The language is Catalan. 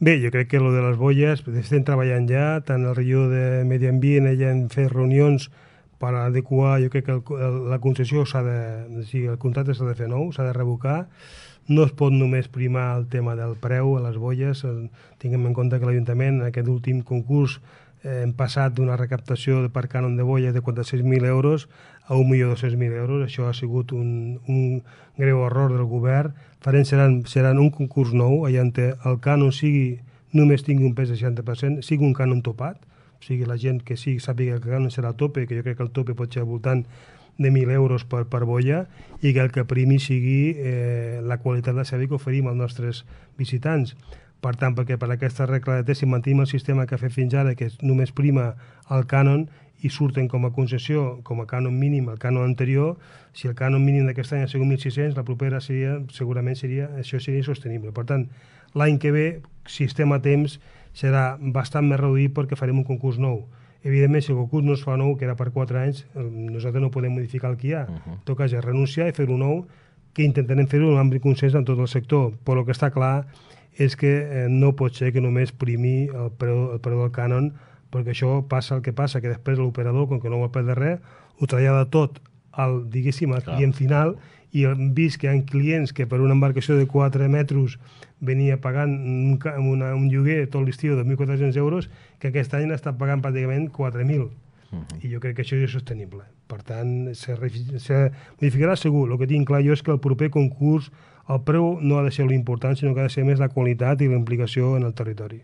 Bé, jo crec que lo de les boies estem treballant ja, tant el regidor de Medi Ambient, ella han fet reunions per adequar, jo crec que la concessió s'ha de, o sigui, el contracte s'ha de fer nou, s'ha de revocar, no es pot només primar el tema del preu a les boies, tinguem en compte que l'Ajuntament en aquest últim concurs hem passat d'una recaptació per cànon de boies de 46.000 euros a 1.200.000 euros, això ha sigut un greu error del govern, seran un concurs nou, allà on el cànon només tingui un pes de 60%, sigui un cànon topat, o sigui, la gent que sàpiga que el cànon serà el tope, que jo crec que el tope pot ser al voltant de 1.000 euros per boia, i que el que primi sigui la qualitat de servei que oferim als nostres visitants. Per tant, perquè per aquesta regla de tres, si mantenim el sistema que ha fet fins ara, que només prima el cànon i surten com a concessió, com a cànon mínim, el cànon anterior, si el cànon mínim d'aquest any ha sigut 1.600, la propera segurament això seria insostenible. Per tant, l'any que ve, si estem a temps, serà bastant més reduït perquè farem un concurs nou. Evidentment, si el concurs no es fa nou, que era per 4 anys, nosaltres no podem modificar el que hi ha. En tot cas, és renunciar i fer-ho nou, que intentarem fer-ho en ampli consens en tot el sector. Però el que està clar és que no pot ser que només primi el preu del cànon, perquè això passa el que passa, que després l'operador, com que no vol perdre res, ho trasllada tot al client final, i hem vist que hi ha clients que per una embarcació de 4 metres venia pagant un lloguer tot l'estiu de 1.400 euros, que aquest any n'està pagant pràcticament 4.000. I jo crec que això és insostenible. Per tant, se modificarà segur. El que tinc clar jo és que el proper concurs el preu no ha de ser l'important, sinó que ha de ser més la qualitat i la implicació en el territori.